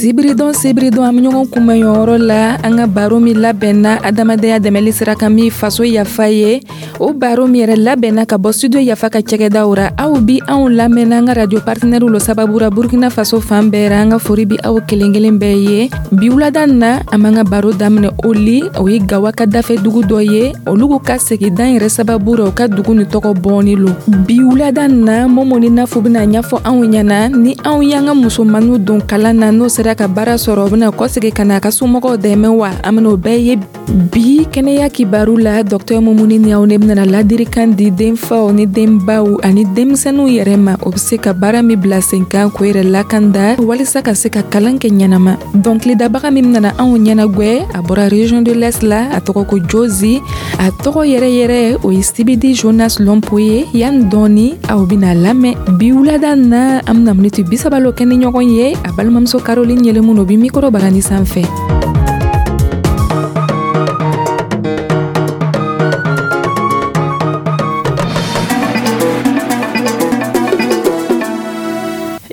Sibiridon sibiridon, an bɛ ɲɔgɔn kunbɛn yɔrɔ la. An ka baro min labɛnna adamadenya dɛmɛli sira kan, min Faso Yafa ye, o baro min yɛrɛ labɛnna ka bɔ Studio Yafa ka cɛgɛdaw ra. Aw bi anw lamɛnna an ka radio partenaire lo sababu ra Burkina Faso fan bɛɛ ra. An ka fori bi aw kelen kelen bɛɛ ye. Bi wulada na, an b'an ka baro daminɛ Oli, o ye Gawa ka dafɛ dugu dɔ ye. Olu ka segidan yɛrɛ sababu ra, u ka dugu ni tɔgɔ bɔɔni lo. Bi wulada na, Momo ni Nafu bɛna ɲɛfɔ anw ɲɛna ni anw y'an ka musomaniw don kalan na, n'o sera ka baara sɔrɔ, o bɛna kɔsegi ka na a ka somɔgɔw dɛmɛ wa? An bɛna o bɛɛ ye bi kɛnɛya kibaru la. Dɔktɛr Mumuni ni aw ne bɛna ladirikan di denfaw ni denbaw ani denmisɛnninw yɛrɛ ma, o bɛ se ka baara min bila sen kan k'o yɛrɛ lakanda walisa ka se ka kalan kɛ ɲɛnama. Dɔnkilidabaga min nana anw ɲɛnagwɛ, a bɔra région de l'Est la, a tɔgɔ ko Jozi. A tɔgɔ yɛrɛ yɛrɛ, o ye Sibidi Jonas Lɔnpo ye. Yanni dɔɔni, aw bɛna lamɛn. Bi wulada na, an bɛna miniti 30 lo kɛ ni ɲɔgɔn ye. A balimamuso Caroline Yɛlɛmun, o bi mikoro barani sanfɛ.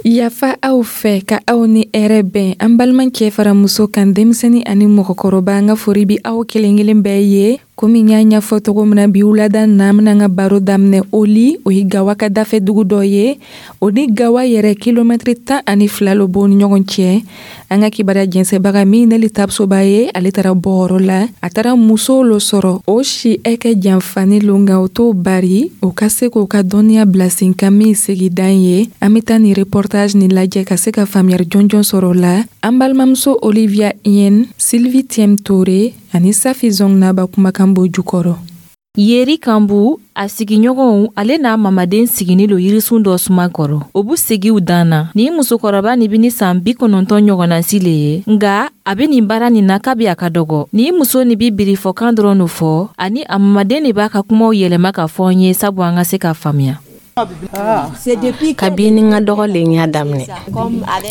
Yafa aw fɛ ka aw ni hɛrɛ bɛn, an balimacɛ fara muso kan, denmisɛnnin ani mɔgɔkɔrɔba, an ka fori bi aw kelen kelen bɛɛ ye. Komi n y'a ɲɛfɔ cogo min na, bi wulada na, an bɛna an ka baro daminɛ Oli, o ye Gawa ka dafɛ dugu dɔ ye. O ni Gawa yɛrɛ, kilomɛtiri 12 lo b'o ni ɲɔgɔn cɛ. An ka kibaruya jɛnsɛbaga min Neli Tapsoba ye, ale taara bɔyɔrɔ la, a taara musow lo sɔrɔ. O si ɛkɛ janfani lo, nka o t'o bari o ka se k'o ka dɔnniya bila sen kan min segidan ye. An bɛ taa nin reportage nin lajɛ ka se ka faamuyali jɔnjɔn sɔrɔ o la. An balimamuso Olivia Yen, Sylvie Tiem Touré ani Safi Zongnaba kumakan b'o jukɔrɔ. Yeri Kanbu, a sigiɲɔgɔnw, ale n'a mamaden sigini lo yirisun dɔ suma kɔrɔ. O bu segiw dan na. Nin musokɔrɔba nin bi ni san 90 ɲɔgɔnnasi le ye, nga a be nin baara nin na kabi a ka dɔgɔ. Nin muso nin bi birifɔkan dɔrɔn no fɔ, ani a mamaden de b'a ka kumaw yɛlɛma ka fɔ n ye sabu an ka se ka faamuya. Kabini n ka dɔgɔ le n y'a daminɛ.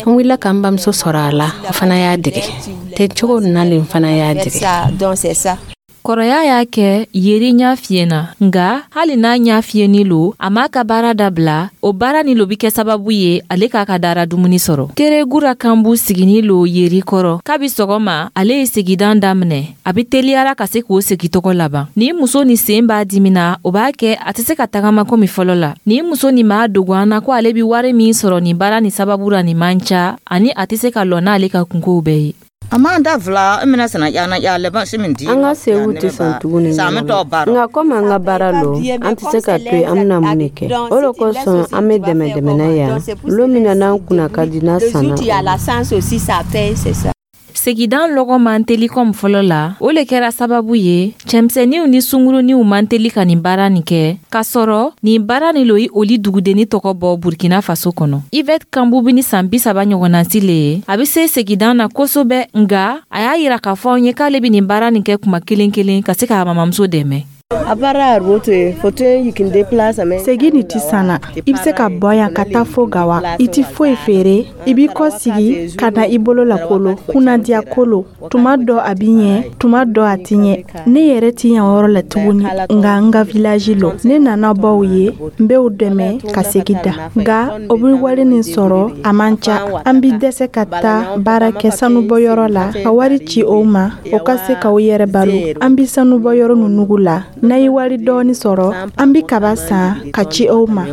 N wulila ka n bamuso sɔrɔ a la, o fana y'a dege ten cogo nin na le, n fana y'a dege. Kɔrɔya y'a kɛ Yeri ɲa fiyenna, nga hali n'a ɲa fiyeni lo, a m'a ka baara dabila. O baara ni lo bi kɛ sababu ye ale k'a ka dara dumuni sɔrɔ. Teregura Kanbu sigini lo Yeri kɔrɔ. Kabi sɔgɔma ale ye segidan daminɛ, a be teliyara ka se k'o segi tɔgɔ laban. Ni muso ni sen b'a dimina, o b'a kɛ a tɛ se ka tagama komi fɔlɔ la. Ni muso ni m'a dogo an na ko ale bi wari min sɔrɔ nin baara ni sababu ra, nin man ca, ani a tɛ se ka lɔ n'ale ka kunkow bɛɛ ye. An ka sewu tɛ sɔn tuguni, nka komi an ka baara lo, an tɛ se ka to yen. An bɛna mun de kɛ? O de kosɔn an bɛ dɛmɛ dɛmɛna yan lon min na n'an kunna ka di n'a sanna. Segidan lɔgɔ man teli kɔmi fɔlɔ la. O le kɛra sababu ye cɛmisɛnninw ni sunguruniw man teli ka nin baara nin kɛ, k'a sɔrɔ nin baara nin lo ye oli dugudenni tɔgɔ bɔ Burkina Faso kɔnɔ. Ivɛt Kanbu bi ni san 30 ɲɔgɔnnasi le ye. A be se segidan na kosɛbɛ, nga a y'a yira k'a fɔ an ye k'ale be nin baara nin kɛ kuma kelen kelen ka se k'a mamamuso dɛmɛ. Segi nin ti sanna. I bɛ se ka bɔ yan ka taa fo Gawa, i ti foyi feere. I b'i kɔ sigi ka na i bolo lakolo kunnadiya kolo. Tuma dɔ a bi ɲɛ, tuma dɔ a ti ɲɛ. Ne yɛrɛ ti yan yɔrɔ la tuguni, nka n ka village lo. Ne nana baw ye, n bɛ u dɛmɛ ka segi da, nka o bɛ wari nin sɔrɔ, a man ca. An bi dɛsɛ ka taa baara kɛ sanubɔyɔrɔ la ka wari ci o ma, o ka se k'o yɛrɛ balo. An bi sanubɔyɔrɔ nunugu la, n'a ye wari dɔɔni sɔrɔ, an bi kaba san ka ci o ma.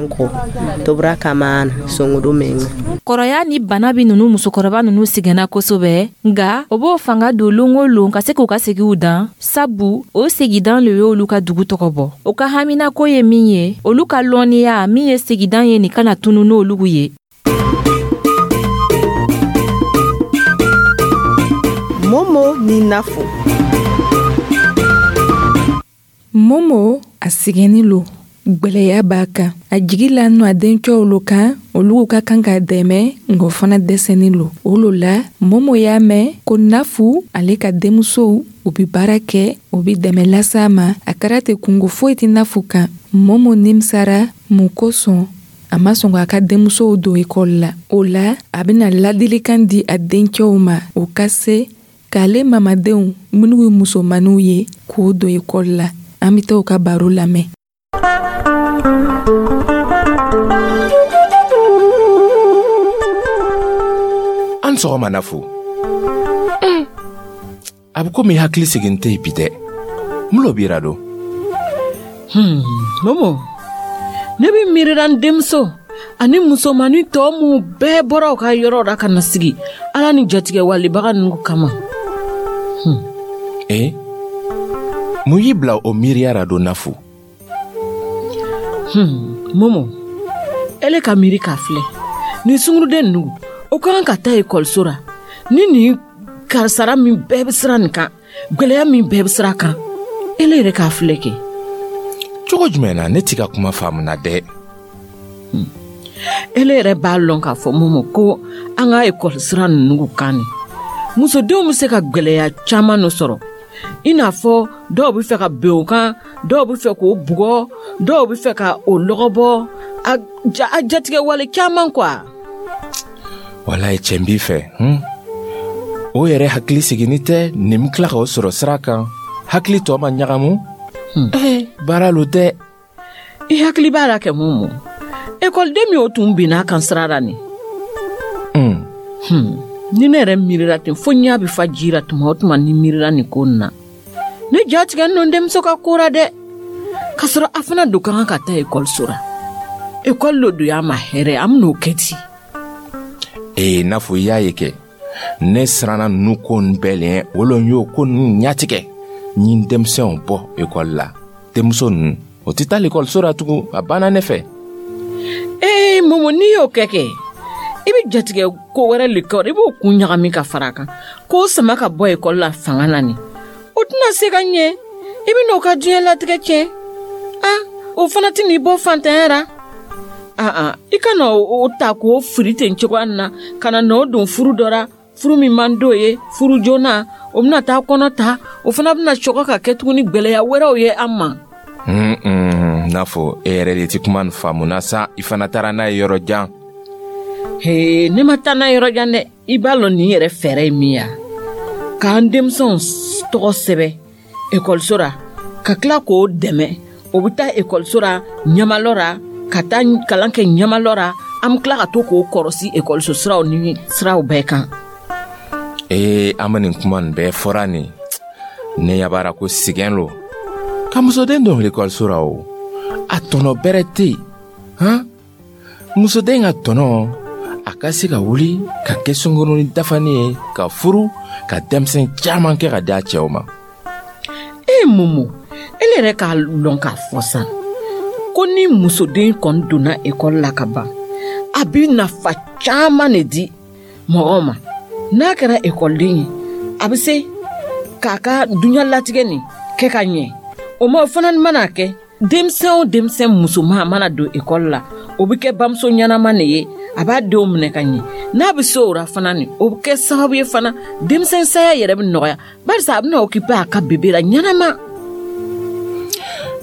Kɔrɔya ni bana bi nunu musokɔrɔba nunu sɛgɛnna kosɛbɛ, nga o b'o fanga don lon o lon ka se k'u ka segiw dan, sabu o segidan le y'olu ka dugu tɔgɔ bɔ. O ka haminako ye min ye, olu ka lɔnniya min ye segidan ye nin kana tunu n'olu ye. Momo ni Nafo. Momo a sɛgɛnni lo, gwɛlɛya b'a kan, a jigi la nɔ a dencɛw lo kan, olu ka kan k'a dɛmɛ, nka o fana dɛsɛni lo. O lo la Momo y'a mɛn ko Nafu ale ka denmusow, u bi baara kɛ, u bi dɛmɛ lase a ma. A kɛra ten, kungo foyi tɛ Nafu kan. Momo nimisara mun kosɔn a ma sɔn k'a ka denmusow don ekɔli la. O la a bɛna ladilikan di a dencɛw ma, o ka se k'ale mamadenw minnu ye musomaninw ye k'o don ekɔli la. An bɛ taa u ka baro lamɛn. An sɔgɔma, Nafu. A bɛ komi hakili sigin tɛ yen bi dɛ. Mun lo b'i ra don? Momo, ne bɛ miirila n denmuso ani musomanin tɔ minnu bɛɛ bɔra u ka yɔrɔ la ka na sigi Ala ni jatigɛwalebaga ninnu kama. Ee, mun y'i bila o miiriya ra don, Nafu? Momo, ele ka miiri k'a filɛ, nin sunguruden ninnu, o ka kan ka taa ekɔliso ra ni nin karisara min bɛɛ bɛ sira nin kan, gwɛlɛya min bɛɛ bɛ sira kan, ele yɛrɛ k'a filɛ kɛ. Cogo jumɛn na? Ne t'i ka kuma faamuna dɛ. Ele yɛrɛ b'a lɔn k'a fɔ, Momo, ko an ka ekɔli sira ninnu kan nin, musodenw bɛ se ka gwɛlɛya caman dɔ sɔrɔ, i n'a fɔ dɔw bɛ fɛ ka ben o kan, dɔw bɛ fɛ k'o bugɔ, dɔw bɛ fɛ ka o lɔgɔbɔ, a jatigɛ wale caman quoi. Walayi, cɛn b'i fɛ. O yɛrɛ hakili siginni tɛ nin bɛ tila k'o sɔrɔ sira kan, hakili tɔ ma ɲagamu. Baara lo dɛ. I hakili b'a la kɛ, Momo, ekɔliden min o tun binna a kan sira la nin? Ni ne yɛrɛ miirila ten fo ɲɛ bɛ fa ji la tuma o tuma ni miirila nin ko nin na. Ne ja tigɛ n denmuso ka ko la dɛ, k'a sɔrɔ a fana don ka kan ka taa ekɔliso la. Ekɔli lo don y'a ma hɛrɛ, an bɛn'o kɛ di? Ee, n'a fɔ i y'a ye kɛ, ne siranna ninnu ko nin bɛɛ lɛ, o lo n y'o ko ninnu ɲatigɛ n ye denmisɛnw bɔ ekɔli la. Denmuso ninnu, o tɛ taa lekɔliso la tugun, a banna ne fɛ. Ee Momo, n'i y'o kɛ kɛ, i bɛ jatigɛ ko wɛrɛ le kɛ, i b'o kun ɲagami ka fara a kan k'o sama ka bɔ ekɔli la fanga na nin, o tɛna se ka ɲɛ. I bɛ n'o ka diɲɛ latigɛ tiɲɛ. A o fana tɛ n'i bɔ fantanya ra. Aa, i ka na o ta k'o fili ten cogoya nin na, ka na n'o don furu dɔ la, furu min man d'o ye, furu joona, o bɛna taa kɔnɔ ta, o fana bɛna sɔgɔ ka kɛ tuguni gwɛlɛya wɛrɛw ye an ma. N'a fɔ e yɛrɛ de ti kuma nin faamu na sa, i fana taara n'a ye yɔrɔ jan. He, ne ma taa n'a yɔrɔ jan dɛ. I b'a lɔn nin yɛrɛ fɛɛrɛ ye min ye, k'an denmisɛnw tɔgɔ sɛbɛ ekɔliso la, ka tila k'o dɛmɛ, o bɛ taa ekɔliso la ɲamalɔ la, ka taa kalan kɛ ɲamalɔ la, an bɛ tila ka to k'o kɔrɔsi ekɔliso siraw ni siraw bɛɛ kan. Ee, an bɛ nin kuma nin bɛɛ fɔra nin, ne yabara ko sigɛn lo ka musoden don ekɔliso la, o a tɔnɔ bɛrɛ tɛ yen. Han, musoden ka tɔnɔ, a ka se ka wuli ka kɛ sunkurunin dafanin ye, ka furu, ka denmisɛn caman kɛ ka di a cɛw ma. E Momo, ele yɛrɛ k'a lɔn k'a fɔ sa ko ni musoden kɔni donna ekɔli la ka ban, a bɛ nafa caman de di mɔgɔw ma. N'a kɛra ekɔliden ye, a bɛ se k'a ka duɲalatigɛ nin kɛ ka ɲɛ. O ma, o fana mana kɛ, denmisɛn o denmisɛn musoman mana don ekɔli la, o bɛ kɛ bamuso ɲɛnama de ye, a b'a denw minɛ ka ɲɛ. N'a bɛ se o la fana nin, o bɛ kɛ sababu ye fana denmisɛn saya yɛrɛ bɛ nɔgɔya, barisa a bɛna occuper a ka bébé la ɲɛnama.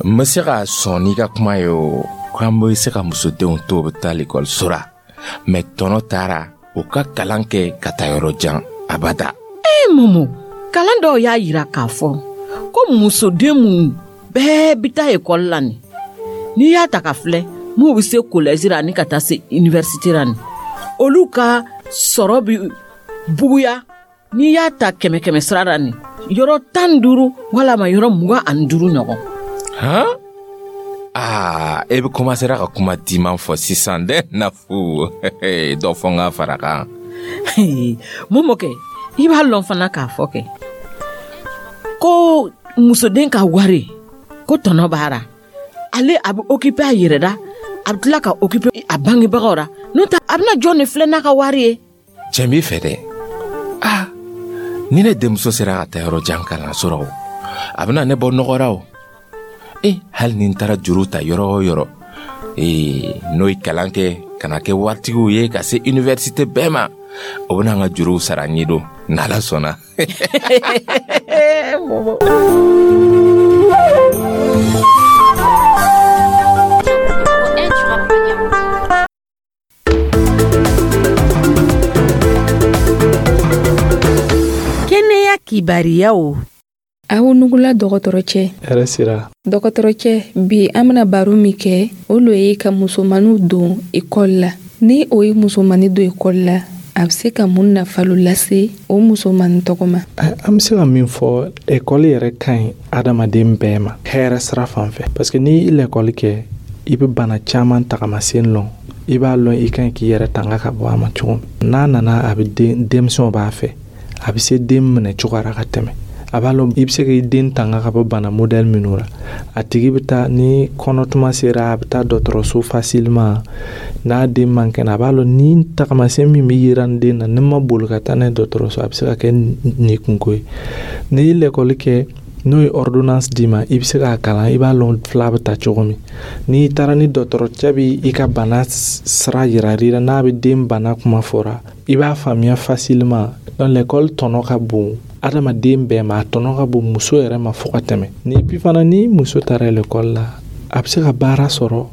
N bɛ se ka sɔn n'i ka kuma ye o, k'an bɛ se ka musodenw to u bɛ taa lekɔliso la, mɛ tɔnɔ taara u ka kalan kɛ ka taa yɔrɔ jan, abada. Ee Momo, kalan dɔw y'a yira k'a fɔ ko musoden mun bɛɛ bɛ taa ekɔli la nin, n'i y'a ta ka filɛ, m'u bɛ se collège la ani ka taa se université la nin, olu ka sɔrɔ bɛ buguya. N'i y'a ta kɛmɛ kɛmɛ sira la nin, yɔrɔ 15 walama yɔrɔ 25 ɲɔgɔn. Han, aa, e bɛ commencera ka kuma diman fɔ sisan dɛ, Nafu. Dɔ fɔ n ka fara kan. Momo kɛ, i b'a lɔn fana k'a fɔ kɛ ko musoden ka wari ko tɔnɔ b'a la. Ale a bɛ occuper a yɛrɛ la, a bɛ tila ka occuper a bangebagaw la, n'o tɛ a bɛna jɔn de filɛ n'a ka wari ye? Cɛn b'i fɛ dɛ. Aa, ni ne denmuso sera ka taa yɔrɔ jan kalanso la, o a bɛna ne bɔ nɔgɔ la o. E, hali ni n taara juru ta yɔrɔ o yɔrɔ, ee, n'o ye kalan kɛ ka na kɛ waritigiw ye ka se université bɛɛ ma, o bɛna an ka juruw sara n ye don n'Ala sɔnna. Kɛnɛya kibariyaw. Aw nugula, dɔgɔtɔrɔcɛ. Hɛrɛ sira. Dɔgɔtɔrɔcɛ, bi an bena baro min kɛ, o lo ye ka musomaniw don ekɔli la. Ni o ye musomani don ekɔli la, A bɛ se ka mun nafa lo lase o musomanin tɔgɔ ma? An bɛ se ka min fɔ, ekɔli yɛrɛ ka ɲi adamaden bɛɛ ma hɛrɛ sira fan fɛ, parce que n'i ye lɛkɔli kɛ, i bɛ bana caman tagamasen lɔn, i b'a lɔn i ka ɲi k'i yɛrɛ tanga ka bɔ a ma cogo min. N'a nana, a bɛ den, denmisɛnw b'a fɛ, a bɛ se den minɛ cogo ra ka tɛmɛ. A b'a lɔn i bɛ se k'i den tanga ka bɔ bana modèle minnu ra. A tigi bɛ taa, ni kɔnɔtuma sera, a bɛ taa dɔgɔtɔrɔso facilement. N'a den man kɛnɛ, a b'a lɔn ni tagamasiyɛn min bɛ yira n den na, ni n ma boli ka taa n'a ye dɔgɔtɔrɔso, a bɛ se ka kɛ nin kunko ye. N'i ye lɛkɔli kɛ, n'o ye ordonnance d'i ma, i bɛ se k'a kalan, i b'a lɔn fila bɛ ta cogo min. N'i taara ni dɔgɔtɔrɔcɛ bɛ i ka bana sira yira i la, n'a bɛ den bana kuma fɔra, i b'a faamuya facilement. Donc l'école tɔnɔ ka bon adamaden bɛɛ ma, a tɔnɔ ka bon muso yɛrɛ ma fo ka tɛmɛ. Ni puis fana, ni muso taara l'école la, a bɛ se ka baara sɔrɔ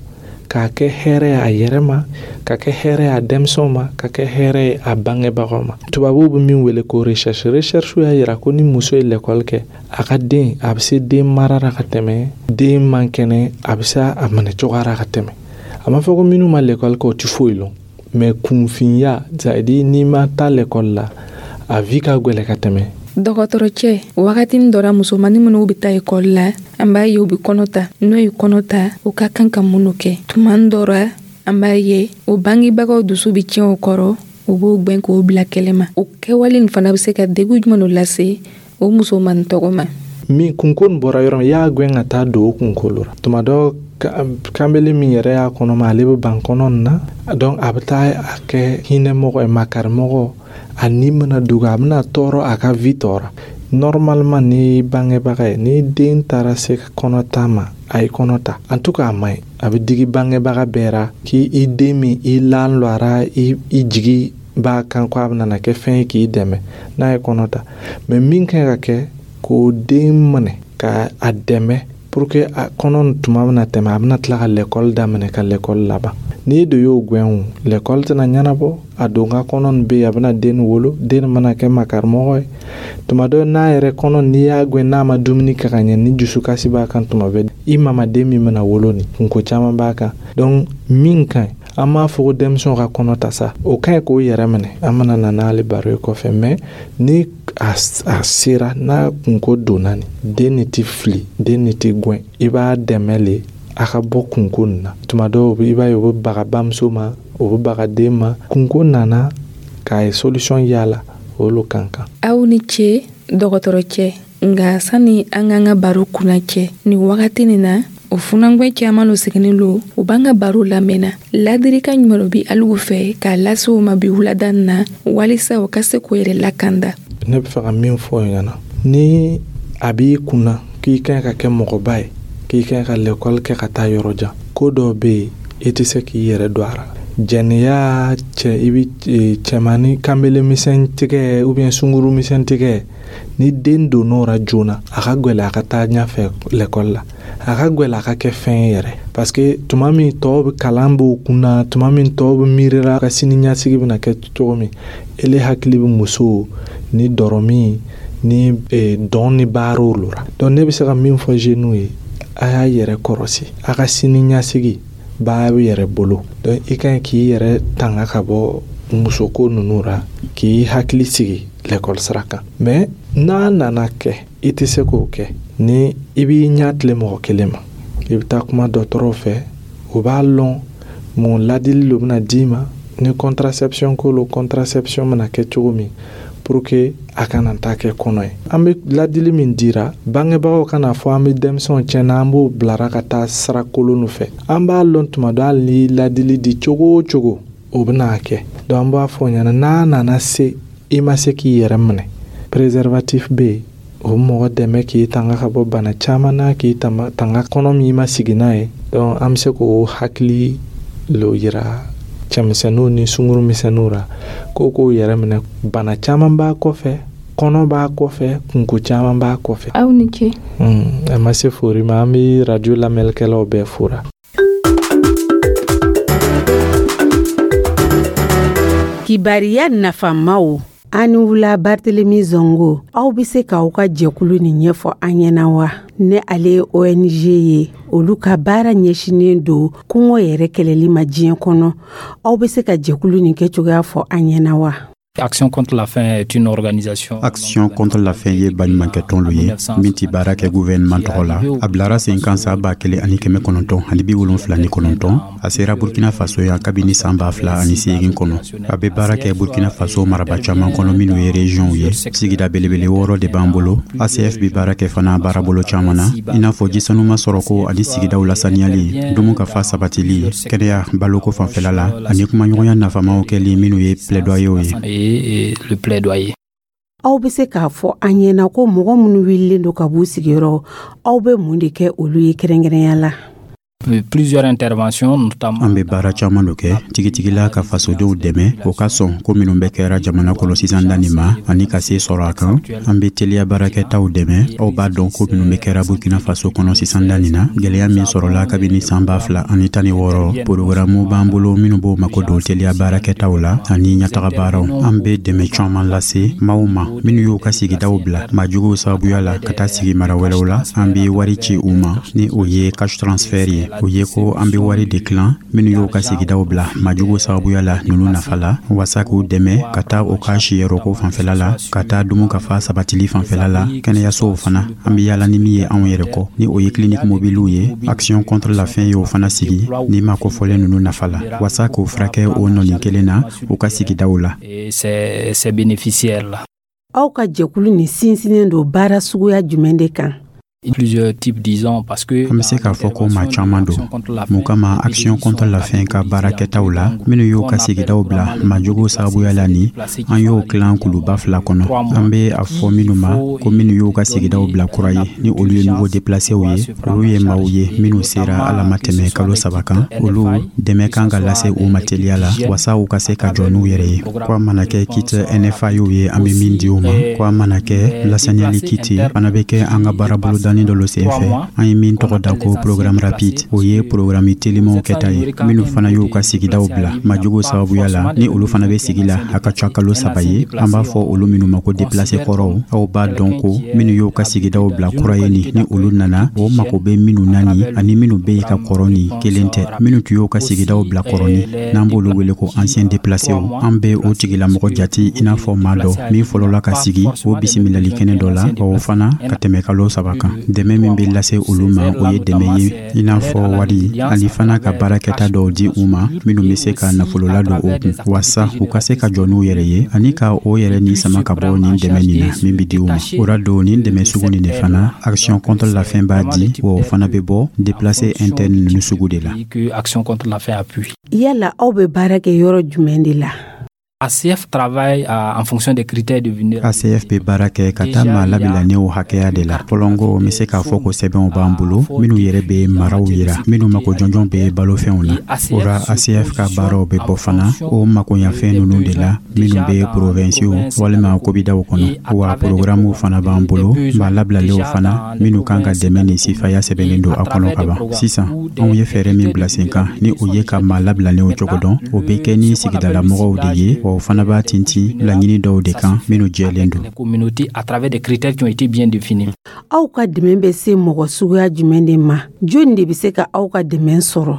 k'a kɛ hɛrɛ ye a yɛrɛ ma, ka kɛ hɛrɛ ye a denmisɛnw ma, ka kɛ hɛrɛ ye a bangebagaw ma. Tubabuw bɛ min wele ko recherche, recherche y'a yira ko ni muso ye l'école kɛ, a ka den, a bɛ se den mara la ka tɛmɛ, den man kɛnɛ, a bɛ se a minɛ cogoya la ka tɛmɛ. A ma fɔ ko minnu ma l'école kɛ, o tɛ foyi lɔn, mais kunfinya, c'est à dire n'i ma taa l'école la, a vie ka gwɛlɛ ka tɛmɛ. Dɔgɔtɔrɔcɛ, wagatinin dɔ ra, musomanin minnu bɛ taa ekɔli la, an b'a ye u bɛ kɔnɔ ta. N'o ye kɔnɔ ta, u ka kan ka mun kɛ? Tuma dɔ ra, an b'a ye o bangebagaw dusu bɛ tiɲɛ o kɔrɔ, u b'o gwɛn k'o bila kɛlɛ ma. O kɛwale nin fana bɛ se ka degun jumɛn lo lase o musomanin tɔgɔ ma? Min kunko nin bɔra yɔrɔ min, i y'a gwɛn ka taa don o kunkolo la. Tuma dɔ, kanbele min yɛrɛ y'a kɔnɔ ma, ale bɛ ban kɔnɔ nin na. Donc a bɛ taa a kɛ hinɛmɔgɔ ye, makarimɔgɔ. A ni bɛna dogo, a bɛna tɔɔrɔ, a ka vie tɔɔrɔ. Normalement, ni bangebaga ye, ni den taara se kɔnɔ ta ma, a ye kɔnɔ ta, en tout cas a man ɲi. A bɛ digi bangebaga bɛɛ ra k'i i den min i lan lɔ a ra, i jigi b'a kan ko a bɛna kɛ fɛn ye k'i dɛmɛ, n'a ye kɔnɔ ta. Mais min kan ka kɛ, k'o den minɛ ka a dɛmɛ pour que a kɔnɔ tuma bɛna tɛmɛ, a bɛna tila ka l'école daminɛ, ka l'école laban. N'i de y'o gwɛn, o l'école tɛna ɲɛnabɔ. A don ka kɔnɔ nin bɛ yen, a bɛna den wolo, den mana kɛ makarimɔgɔ ye. Tuma dɔ, n'a yɛrɛ kɔnɔ, n'i y'a gwɛn, n'a ma dumuni kɛ ka ɲɛ, ni dusukasi b'a kan tuma bɛɛ, i mamaden min bɛna wolo, nin kunko caman b'a kan. Donc min ka ɲi, an m'a fɔ ko denmisɛnw ka kɔnɔ ta sa, o ka ɲi k'o yɛrɛ minɛ, an bɛna na n'ale baro ye kɔfɛ. Mais ni a sera, n'a kunko donna, nin den nin tɛ fili, den nin tɛ gwɛn, i b'a dɛmɛ le a ka bɔ kunko nin na. Tuma dɔw, i b'a ye o bɛ baga bamuso ma, o bɛ baga den ma. Kunko nana k'a ye solution y'a o lo kan kan. Aw ni ce, dɔgɔtɔrɔcɛ. Nka sani an k'an ka baro kunna cɛ, nin wagati nin na, o funangwɛ caman lo siginin lo, u b'an ka baro lamɛnna. Ladirikan ɲuman lo bi aligu fɛ k'a lase u ma bi wulada na, walisa u ka se k'o yɛrɛ lakanda? Ne bɛ fɛ ka min fɔ ɲɛna, ni a b'i kunna k'i ka ɲi ka kɛ mɔgɔba ye, k'i ka ɲi ka lɛkɔli kɛ ka taa yɔrɔ jan, ko dɔw bɛ yen, i tɛ se k'i yɛrɛ don a la. Jɛnɛya cɛ, i bɛ cɛmannin kanbele misɛn tigɛ ou bien sunguru misɛn tigɛ, ni den donn'o ra joona, a ka gwɛlɛ a ka taa ɲɛfɛ lɛkɔli la, a ka gwɛlɛ a ka kɛ fɛn ye yɛrɛ, parce que tuma min tɔw bɛ kalan b'o kunna, tuma min tɔw bɛ miirila ka sini ɲɛsigi bɛna kɛ cogo min, ele hakili bɛ muso ni dɔrɔmi ni dɔn ni baaraw lo la. Donc ne bɛ se ka min fɔ jeunes ye, a y'a yɛrɛ kɔrɔsi, a ka sini ɲɛsigi b'a yɛrɛ bolo. Donc i ka ɲi k'i yɛrɛ tanga ka bɔ musoko ninnu ra, k'i hakili sigi lɛkɔli sira kan. Mais n'a nana kɛ i tɛ se k'o kɛ, ni i b'i ɲɛ tilen mɔgɔ kelen ma, i bɛ taa kuma dɔgɔtɔrɔw fɛ, u b'a lɔn mun ladili lo bɛna d'i ma. Ni contraception ko lo, contraception bɛna kɛ cogo min pour que a kana taa kɛ kɔnɔ ye. An bɛ ladili min dira bangebagaw, kana fɔ an bɛ denmisɛnw tiɲɛna, an b'o bilara ka taa sira kolon fɛ. An b'a lɔn tuma dɔ, hali ni ladili di cogo o cogo, o bɛna kɛ. Donc an b'a fɔ ɲɛna, n'a nana se i ma se k'i yɛrɛ minɛ, préservatif bɛ yen, o bɛ mɔgɔ dɛmɛ k'i tanga ka bɔ bana caman na, k'i tanga kɔnɔ min i ma sigi n'a ye. Donc an bɛ se k'o hakili lo yira cɛmisɛnninw ni sunkurumisɛnninw ra, ko k'o yɛrɛ minɛ. Bana caman b'a kɔfɛ, kɔnɔ b'a kɔfɛ, kunko caman b'a kɔfɛ. Aw ni ce. A ma se fori ma, an bɛ radio lamɛnnikɛlaw bɛɛ fora. Kibariya nafamaw. An ni wula, Barthélémy Zongo. Aw bɛ se k'aw ka jɛkulu nin ɲɛfɔ an ɲɛna wa? Ne ale ye ONG ye, olu ka baara ɲɛsinnen don kɔngɔ yɛrɛ kɛlɛli ma diɲɛ kɔnɔ. Aw bɛ se ka jɛkulu nin kɛ cogoya fɔ an ɲɛna wa? Action contre la faim est une organisation. Action contre la faim ye baɲumankɛtɔn lo ye min ti baara kɛ gouvernement tɔgɔ la. A bilara sen kan san 1979. A sera Burkina Faso yan kabini san 2008 kɔnɔ. A bɛ baara kɛ Burkina Faso maraba caman kɔnɔ minnu ye régionw ye. Sigida belebele 6 de b'an bolo. ACF bɛ baara kɛ fana baarabolo caman na, i n'a fɔ jisanuma sɔrɔko ani sigidaw lasaniyali, dumu ka fa sabatili, kɛnɛya baloko fanfɛla la, ani kumaɲɔgɔnya nafamaw kɛli minnu ye plaidoyer ye. Le plaidoyer. Aw bɛ se k'a fɔ an ɲɛna ko mɔgɔ minnu wililen don ka b'u sigiyɔrɔ, aw bɛ mun de kɛ olu ye kɛrɛnkɛrɛnya la? Plusieurs interventions, notamment. An bɛ baara caman do kɛ tigitigila ka fasodenw dɛmɛ o ka sɔn ko minnu bɛ kɛra jamana kɔnɔ sisan danni ma ani ka se sɔrɔ a kan. An bɛ teliya baarakɛtaw dɛmɛ. Aw b'a dɔn ko minnu bɛ kɛra Burkina Faso kɔnɔ sisan danni na, gwɛlɛya min sɔrɔla kabini san 2016, porogaramu b'an bolo minnu b'o mako don teliya baarakɛtaw la ani ɲɛtaga baaraw. An bɛ dɛmɛ caman lase maaw ma minnu y'u ka sigidaw bila maajuguw sababuya la ka taa sigi mara wɛrɛw la. An bɛ wari ci u ma ni o ye cash transfert ye. O ye ko an bɛ wari de tilan minnu y'u ka sigidaw bila majugu sababuya la ninnu nafa la, wasa k'u dɛmɛ ka taa u ka siyɔrɔko fanfɛla la, ka taa dumu ka fa sabatili fanfɛla la. Kɛnɛyasow fana, an bɛ yaala ni min ye anw yɛrɛ kɔ, ni o ye clinique mobilew ye, Action contre la faim y'o fana sigi ni ma kofɔlen ninnu nafa la, wasa k'o furakɛ o nɔnin kelen na u ka sigidaw la. Ces bénéficiaires là. Aw ka jɛkulu nin sinsinnen don baara suguya jumɛn de kan? Plusieurs types, disons, parce que An bɛ se k'a fɔ ko maa caman don. Mun kama, Action contre la faim ka baarakɛtaw la, minnu y'u ka sigidaw bila maajuguw sababuya la ni, an y'o tilan kuluba fila kɔnɔ. An bɛ a fɔ minnu ma ko minnu y'u ka sigidaw bila kura ye, ni olu ye nouveau déplacés ye, olu ye maaw ye minnu sera ala ma tɛmɛ kalo 3 kan. Olu dɛmɛ kan ka lase u ma teliya la wasa u ka se ka jɔ n'u yɛrɛ ye. Ko a mana kɛ kit NFA ye, an bɛ min di u ma, ko a mana kɛ lasaniyali kit fana bɛ kɛ an ka baarabolodani dɔ lo sen fɛ, an ye min tɔgɔ da ko programme rapide. O ye programme telimanw kɛta ye. Minnu fana y'u ka sigidaw bila majugu sababuya la, ni olu fana bɛ sigi la a ka ca kalo 3 ye, an b'a fɔ olu minnu ma ko déplacé kɔrɔw. Aw b'a dɔn ko minnu y'u ka sigidaw bila kura ye ni olu nana, o mako bɛ minnu na ni ani minnu bɛ yen ka kɔrɔ ni kelen tɛ. Minnu tun y'u ka sigidaw bila kɔrɔ ni, n'an b'olu wele ko ancien déplacé, an bɛ o tigilamɔgɔ jate i n'a fɔ maa dɔ min fɔlɔla ka sigi o bisimilali kɛnɛ dɔ la, o fana ka tɛmɛ kalo 3 kan. Dɛmɛ min bɛ lase olu ma, o ye dɛmɛ ye i n'a fɔ wari, ani fana ka baarakɛta dɔw di u ma minnu bɛ se ka nafolo ladon o kun, wasa u ka se ka jɔ n'u yɛrɛ ye ani ka o yɛrɛ ni sama ka bɔ nin dɛmɛ nin na min bɛ di u ma. O ra don nin dɛmɛ sugu nin de fana, Action contre la faim b'a di, wa o fana bɛ bɔ déplacé interne ninnu sugu de la. Action contre la faim appuie. Yala aw bɛ baara kɛ yɔrɔ jumɛn de la? ACF travaille en fonction des critères de vulnérabilité. ACF bɛ baara kɛ ka taa maa labilalenw hakɛya de la. Fɔlɔnko, n bɛ se k'a fɔ ko sɛbɛnw b'an bolo minnu yɛrɛ bɛ maraw yira minnu mako jɔnjɔn bɛ balofɛnw na. O ra, ACF ka baaraw bɛ bɔ fana o makoɲafɛn ninnu de la minnu bɛ provincew walima kobidaw kɔnɔ. Wa programmew fana b'an bolo, maa labilalenw fana minnu kan ka dɛmɛ ni sifaya sɛbɛnnen don a kɔnɔ ka ban. Sisan, anw ye fɛɛrɛ min bila sen kan, ni o ye ka maa labilalenw cogo dɔn, o bɛ kɛ ni sigidalamɔgɔw de ye, wa o fana b'a tintin laɲini dɔw de kan minnu jɛlen don. Communauté à travers des critères qui ont été bien définis. Aw ka dɛmɛ bɛ se mɔgɔ suguya jumɛn de ma? Jɔnni de bɛ se ka aw ka dɛmɛ sɔrɔ?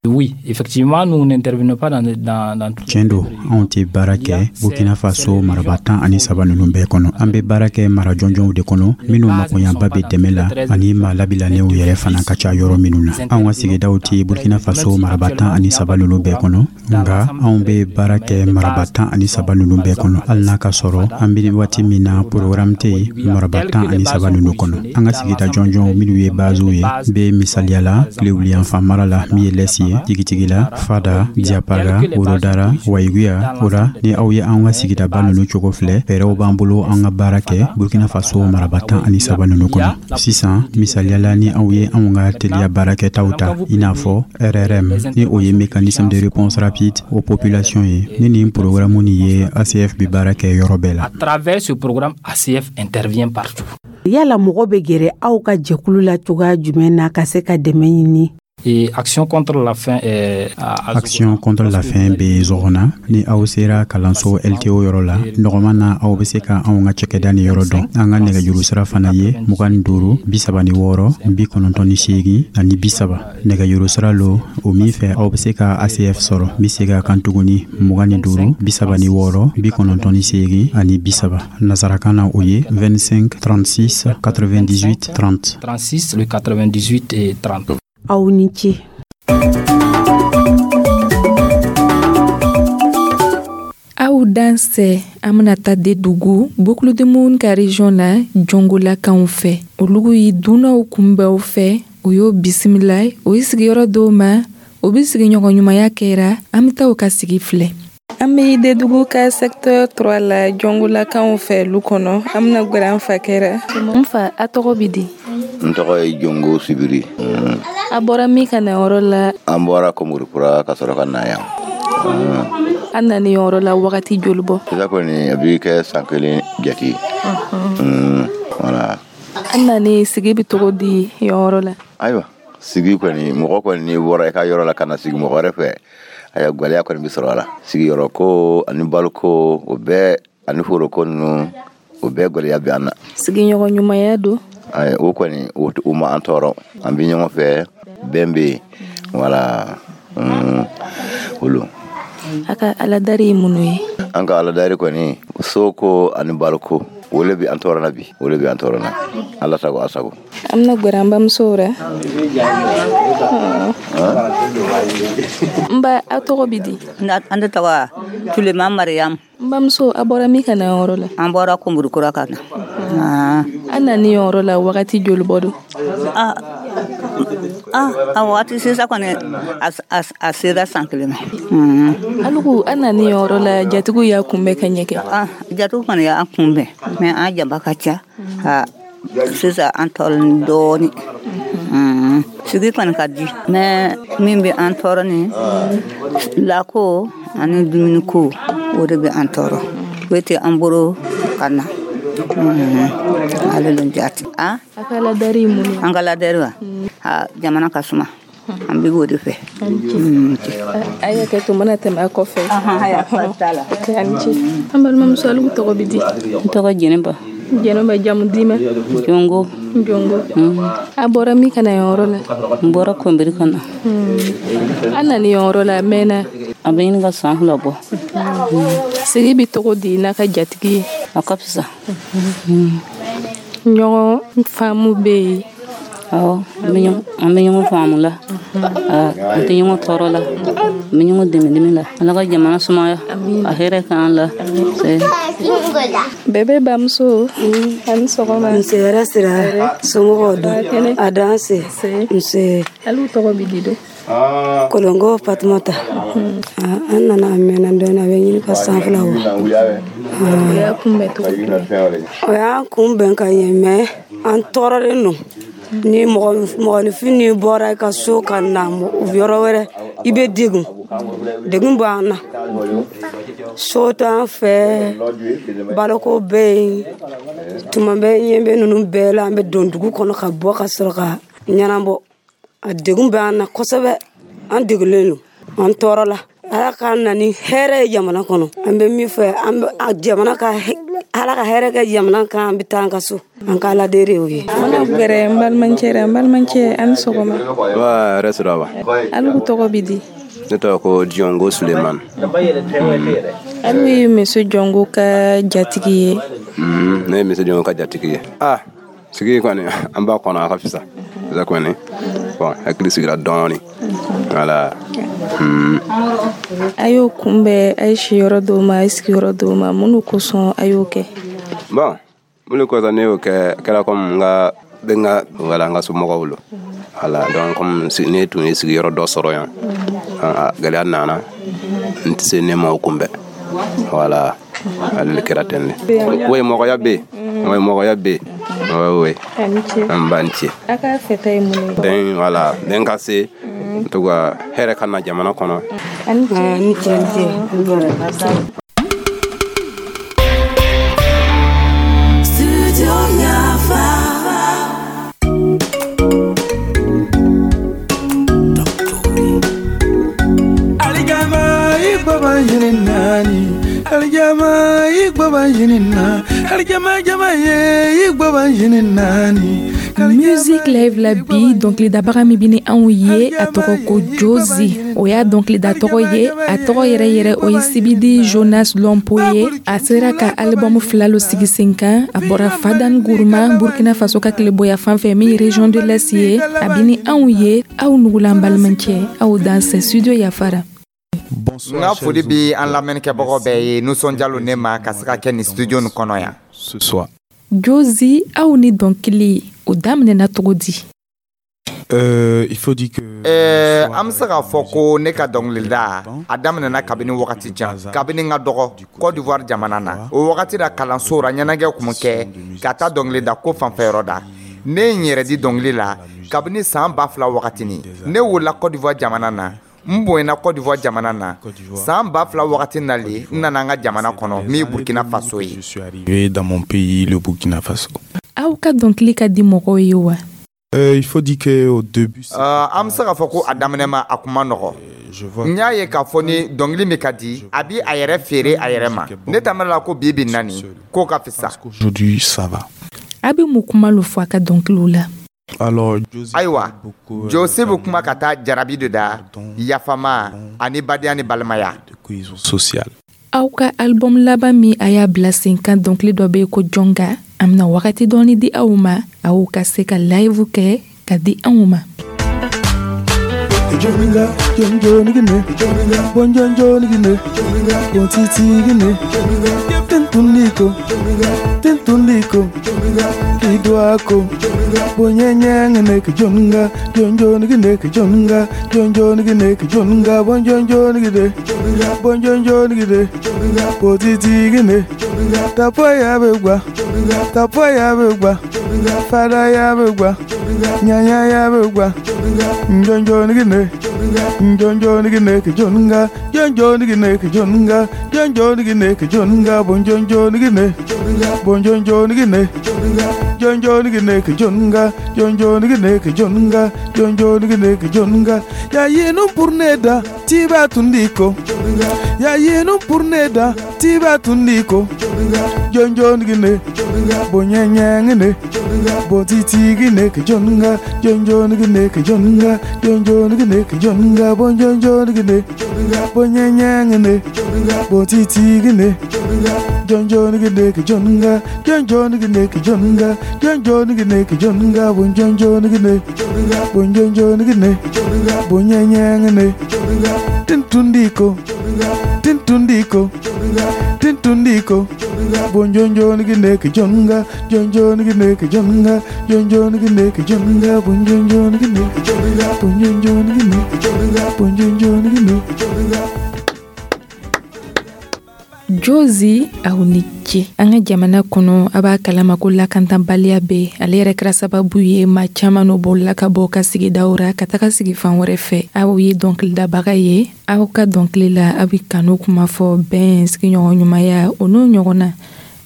Oui, effectivement, nous n'intervenons pas dans Tiɲɛ don, anw tɛ baara kɛ Burkina Faso maraba 13 ninnu bɛɛ kɔnɔ. An bɛ baara kɛ mara jɔnjɔnw de kɔnɔ minnu makoɲaba bɛ dɛmɛ la ani maa labilalenw yɛrɛ fana ka ca yɔrɔ minnu na. Anw ka sigidaw tɛ Burkina Faso maraba 13 ninnu bɛɛ kɔnɔ, nka anw bɛ baara kɛ maraba 13 ninnu bɛɛ kɔnɔ, hali n'a ka sɔrɔ an bɛ waati min na programme tɛ yen maraba 13 ninnu kɔnɔ. An ka sigida jɔnjɔnw minnu ye basew ye bɛ misaliya la tilewuliyanfan mara la min ye l'Est ye, tigitigi la Fada, Diapaga, Orodara, Ouahigouya. O ra, ni aw ye an ka sigidaba ninnu cogo filɛ, fɛɛrɛw b'an bolo an ka baara kɛ Burkina Faso maraba 13 ninnu kɔnɔ. Sisan, misaliyala, ni aw ye anw ka teliya baarakɛtaw ta, i n'a fɔ RRM, ni o ye mécanisme de réponse rapide aux populations ye, ni nin programme nin ye, ACF bɛ baara kɛ yɔrɔ bɛɛ la. À travers ce programme, ACF intervient partout. Yala mɔgɔ bɛ gɛrɛ aw ka jɛkulu la cogoya jumɛn na ka se ka dɛmɛ ɲini? Et Action contre la faim est à Action contre la faim bɛ Zɔgɔna. Ni aw sera kalanso LTO yɔrɔ la, nɔgɔman na, aw bɛ se ka anw ka cakɛda ni yɔrɔ dɔn. An ka nɛgɛjuru sira fana ye 25 36 98 30. Nɛgɛjuru sira lo o min fɛ aw bɛ se ka ACF sɔrɔ. N bɛ segin a kan tuguni: 25 36 98 30. Nasarakan na, o ye 25 36 98 30. 36 le 98 et 30. Aw ni ce. Aw dansɛ. An bena taa Dedugu, Boucle du Mouhoun ka région la, Jɔngolakanw fɛ. Olugu yi dunanw kunbɛnw fɛ, o y'o bisimila, o ye sigiyɔrɔ dɔw ma, o be sigiɲɔgɔn ɲumanya kɛra. An be taa o ka sigi filɛ. An be Dedugu ka secteur 3 la, Jɔngolakanw fɛ lu kɔnɔ. An bena gwɛrɛ an fa kɛra. N fa, a tɔgɔ bi di? N tɔgɔ ye Jongo Sibiri. A bɔra min ka na yɔrɔ la? An bɔra Komorikura ka sɔrɔ ka na yan. An nani yɔrɔ la wagati joli bɔ? Sisan kɔni, a b'i kɛ san kelen jate. Voilà. An nani, sigi bɛ cogo di yɔrɔ la? Ayiwa, sigi kɔni, mɔgɔ kɔni, n'i bɔra i ka yɔrɔ la ka na sigi mɔgɔ wɛrɛ fɛ, ayiwa, gwɛlɛya kɔni bɛ sɔrɔ a la. Sigiyɔrɔ ko ani baloko, o bɛɛ ani foroko ninnu, o bɛɛ gwɛlɛya bɛ an na. Sigiɲɔgɔn ɲumanya don? O kɔni, o ma an tɔɔrɔ. An bɛ ɲɔgɔn fɛ, bɛn bɛ yen, voilà, olu. A ka aladari ye mun ye? An ka aladari kɔni, soko ani baloko, o le bɛ an tɔɔrɔ na bi, o le bɛ an tɔɔrɔ na. Ala sago, a sago. An bɛna gwɛrɛ an bamusow ra. N ba, a tɔgɔ bɛ di? An de tɔgɔ Tulema Mariam. N bamuso, a bɔra min ka na yɔrɔ la? An bɔra Komorikura ka na. An nani yɔrɔ la wagati joli bɔ don? A waati sisan kɔni, a sera san kelen ma. Alugu, an nani yɔrɔ la, jatigiw y'a kunbɛn ka ɲɛ kɛ? Jatigiw kɔni y'an kunbɛn, mais an jama ka ca. Sisan an tɔɔrɔlen dɔɔnin. Sigi kɔni ka di, mais min bɛ an tɔɔrɔ ni lako ani dumuniko, o de bɛ an tɔɔrɔ. O tɛ an bolo ka na. Ale de jate. A ka ladari ye mun ye? An ka ladari wa? Jamana ka suma. An bɛ o de fɛ. A y'a kɛ to mana tɛmɛ a kɔfɛ. A ni ce. An balimamuso, alu tɔgɔ bɛ di? N tɔgɔ Jɛnɛba. Jɛnɛba, jamu d'i ma? Jongo. Jongo. A bɔra min ka na yɔrɔ la? N bɔra Kɔnbiri ka na. An nana yɔrɔ la a mɛnna? A bɛ ɲini ka san 2 bɔ. Sigi bɛ cogo di n'a ka jatigi ye? A ka fisa. Ɲɔgɔn faamu bɛ yen? Awɔ, an bɛ ɲɔgɔn faamu la. An tɛ ɲɔgɔn tɔɔrɔ la. An bɛ ɲɔgɔn dɛmɛ dɛmɛ la. Ala ka jamana sumaya. A hɛrɛ k'an la. Bɛɛ bamuso, a ni sɔgɔma. Nse, hɛrɛ sira. Somɔgɔw don? A danse. Nse. Alu tɔgɔ bɛ di don? Kolonko Fatumata. An nana a mɛnna dɔɔnin, a bɛ ɲini ka san 2 bɔ. O y'a kunbɛn cogo jumɛn? O y'an kunbɛn ka ɲɛ, mais an tɔɔrɔlen don. Ni mɔgɔninfin n'i bɔra i ka so ka na yɔrɔ wɛrɛ, i bɛ degun. Degun b'an na. So t'an fɛ, baloko bɛ yen. Tuma bɛɛ ɲɛ bɛ ninnu bɛɛ la, an bɛ don dugu kɔnɔ ka bɔ ka sɔrɔ ka ɲɛnabɔ. A degun b'an na kosɛbɛ. An degunlen don, an tɔɔrɔ la. Ala k'an na ni hɛrɛ ye jamana kɔnɔ. An bɛ min fɛ, an bɛ jamana ka, Ala ka hɛrɛ kɛ jamana kan. An bɛ taa an ka so. An ka Ala deli o ye. An bɛna gɛrɛ n balimakɛ la. N balimakɛ, a ni sɔgɔma. Wa hɛrɛ sira wa. Alu tɔgɔ bɛ di? Ne tɔgɔ ko Jɔngo Sulemani. Alu ye monsieur Jɔngo ka jatigi ye? Ne ye monsieur Jɔngo ka jatigi ye. Sigi kɔni, an b'a kɔnɔ, a ka fisa. Fisa kɔni. Bon, hakili sigira dɔɔni. Voilà. A y'o kunbɛn, a ye siyɔrɔ d'o ma, a ye sigiyɔrɔ d'o ma. Mun kosɔn a y'o kɛ? Bon, mun kosɔn ne y'o kɛ, kɛra comme n ka bɛ n ka, voilà, n ka somɔgɔw lo. Voilà, donc comme ne tun ye sigiyɔrɔ dɔ sɔrɔ yan, gɛlɛya nana, n tɛ se ne ma o kunbɛn. Voilà, ale de kɛra ten de. Oui, mɔgɔya bɛ yen. Oui, mɔgɔya bɛ yen. Oui, oui. An b'an ce. A ka fɛta ye mun ye? Den, voilà, den ka se, en tout cas, hɛrɛ ka na jamana kɔnɔ. A ni ce. A ni ce, ni ce. Studio Yafa. Alijama igbo banjinina alijama jama ye igbo banjinina ni. Musique Live la bi, dɔnkilidabaga min bi ni anw ye, a tɔgɔ ko Jozi. O y'a dɔnkilida tɔgɔ ye. A tɔgɔ yɛrɛ yɛrɛ, o ye Sibidi Jonas Lɔnpo ye. A sera ka album fila lo sigi sen kan. A bɔra Fadan Guruma, Burkina Faso ka tileboya fan fɛ, min ye région de l'Est ye. A bi ni anw ye. Aw nugulan balimacɛ, aw dansɛ studio Yafara. N ka foli bi an lamɛnnikɛbagaw bɛɛ ye. Nisɔndiya ne ma ka se ka kɛ nin studio nin kɔnɔ yan. Ce soir. Jozi, aw ni dɔnkili, o daminɛna cogo di? Il faut dire que An bɛ se k'a fɔ ko ne ka dɔnkilida, a daminɛna kabini wagati jan, kabini n ka dɔgɔ Côte d'Ivoire jamana na. O wagati la, kalanso ra, ɲɛnajɛ kun kɛ ka taa dɔnkilida ko fanfɛyɔrɔ da. Ne ye n yɛrɛ di dɔnkili la kabini san 2000 wagatini. Ne wolola Côte d'Ivoire jamana na, n bonyana Côte d'Ivoire jamana na. San 2000 wagati nalen, n nana an ka jamana kɔnɔ min ye Burkina Faso ye. Je suis arrivé dans mon pays, le Burkina Faso. Aw ka dɔnkili ka di mɔgɔw ye wa? Il faut dire qu'au début, An bɛ se k'a fɔ ko a daminɛ ma, a kun ma nɔgɔ. N y'a ye k'a fɔ ni dɔnkili min ka di, a bi a yɛrɛ feere a yɛrɛ ma. Ne ta la ko bi bi na nin k'o ka fisa. Aujourd'hui, ça va. A bɛ mun kuma lo fɔ a ka dɔnkiliw la? Alors, Ayiwa, Jose bɛ kuma ka taa jarabi de da, yafama ani badenya ni balimaya. Cohésion sociale. Aw ka album laban min a y'a bila sen kan, dɔnkili dɔ bɛ yen ko Jɔnga. An bɛna wagati dɔɔni di aw ma, aw ka se ka live kɛ ka di anw ma. Joninga, jonjonigine, bonjonjonigine, bontitigine, tintuliko, tintuliko, kidwako, bonyenyengene kijoninga, jonjonigine kijoninga, jonjonigine kijoninga, bonjonjonigine, bonjonjonigine, botitigine, tapoya begwa, tapoya begwa, fada ya begwa, nyanya ya begwa, njonjonigine, njonjonigine kijoninga, jonjonigine kijoninga, jonjonigine kijoninga, bonjonjonigine, bonjonjonigine, jonjonigine kijoninga, jonjonigine kijoninga, jonjonigine kijoninga, ya yenu purneda tiba tundiko, ya yenu purneda tiba tundiko, jonjonigine, bonyenyengine, bontitigine kijoninga, jonjonigine kijoninga, jonjonigine kijoninga, bonjonjonigine, bonyenyengine, bontitigine, jonjonigine kijoninga, jonjonigine kijoninga, jonjonigine kijoninga, bonjonjonigine, bonjonjonigine, bonyenyengine, tintundiko, tintundiko, tintundiko, bonjonjonigine kijoninga, jonjonigine kijoninga, jonjonigine kijoninga, bonjonjonigine, bonjonjonigine, bonjonjonigine. Jozi, aw ni ce. An ka jamana kɔnɔ, a b'a kalama ko lakantabaliya bɛ. Ale yɛrɛ kɛra sababu ye maa caman no bolila ka bɔ ka sigidaw ra ka taga sigi fan wɛrɛ fɛ. Aw ye dɔnkilidabaga ye. Aw ka dɔnkili la, aw bɛ kanu kuma fɔ, bɛn, sigiɲɔgɔn ɲumanya, o n'o ɲɔgɔn na.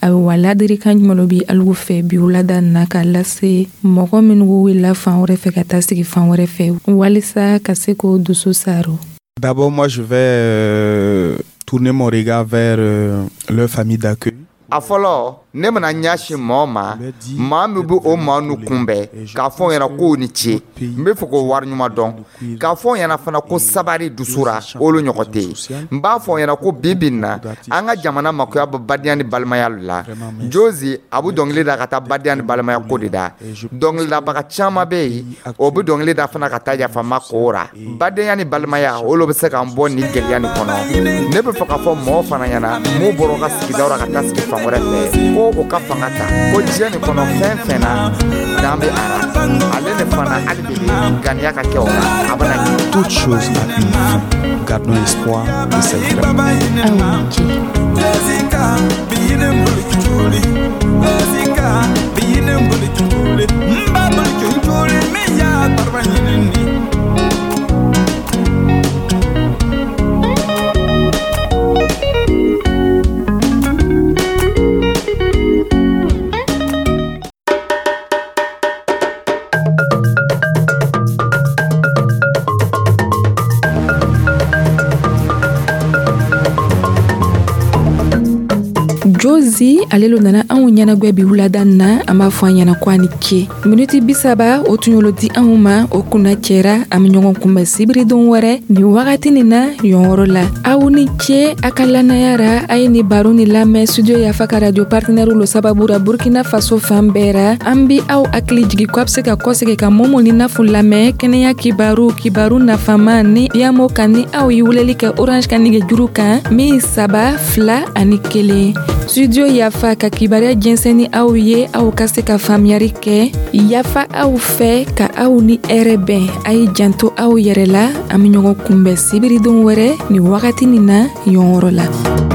Ayiwa, ladirikan jumɛn bɛ alu fɛ bi wulada na ka lase mɔgɔ minnu wulila fan wɛrɛ fɛ ka taa sigi fan wɛrɛ fɛ, walisa ka se k'o dusu saro? D'abord, moi, je vais tourner mon regard vers leur famille d'accueil. A fɔlɔ, ne bɛna ɲɛsin mɔɔ ma, maa min bɛ o maa nu kunbɛn, k'a fɔ ɲɛna k'o ni ce. N bɛ fɛ k'o wari ɲuman dɔn, k'a fɔ ɲɛna fana ko sabari dusura, olu ɲɔgɔn tɛ yen. N b'a fɔ ɲɛna ko bi bi in na, an ka jamana makoya bɛ badenya ni balimaya la. Jozi a bɛ dɔnkili da ka taa badenya ni balimaya ko de da. Dɔnkilidabaga caman bɛ yen, o bɛ dɔnkili da fana ka taa yafama ko ra. Badenya ni balimaya, olu bɛ se k'an bɔ nin gɛlɛya nin kɔnɔ. Ne bɛ fɛ k'a fɔ mɔgɔw fana ɲɛna mun bɔra u ka sigidaw la ka taa sigi fan wɛrɛ fɛ, ko o ka fanga ta, ko diɲɛ nin kɔnɔ, fɛn fɛn na, dan bɛ a la. Ale de fana, hali bi ganiya ka kɛ o la, a bɛna ɲɛ. Toute chose a une fin. Gardons espoir et c'est vrai. Aw ni ce. Jessica, biyine mbuli, Jessica, biyine mbuli, mba mbuli min ya barba ɲinini. Faransi, ale lo nana anw ɲɛnagwɛ bi wulada na. An b'a fɔ an ɲɛna ko a ni ce. Miniti 30, o tun y'olu di anw ma, o kunna cɛra. An be ɲɔgɔn kunbɛn sibiridon wɛrɛ nin wagati nin na yɔnyɔrɔ la. Aw ni ce a ka lannaya ra. A ye ni baro ni lamɛn Studio Yafa ka radio partenaire lo sababu ra Burkina Faso fan bɛɛ ra. An bi aw hakili jigi ko a be se ka kɔsegi ka Momo ni Nafu lamɛn kɛnɛya kibaru, kibaru nafama ni yamo kan, ni aw ye weleli kɛ Orange ka nɛgɛjuru kan min 3 2 ani 1. Studio Yafa ka kibaruya jɛnsɛn ni aw ye, aw ka se ka faamuyari kɛ. Yafa aw fɛ ka aw ni hɛrɛ bɛn. A ye janto aw yɛrɛ la. An be ɲɔgɔn kunbɛn sibiridon wɛrɛ nin wagati nin na yɔnyɔrɔ la.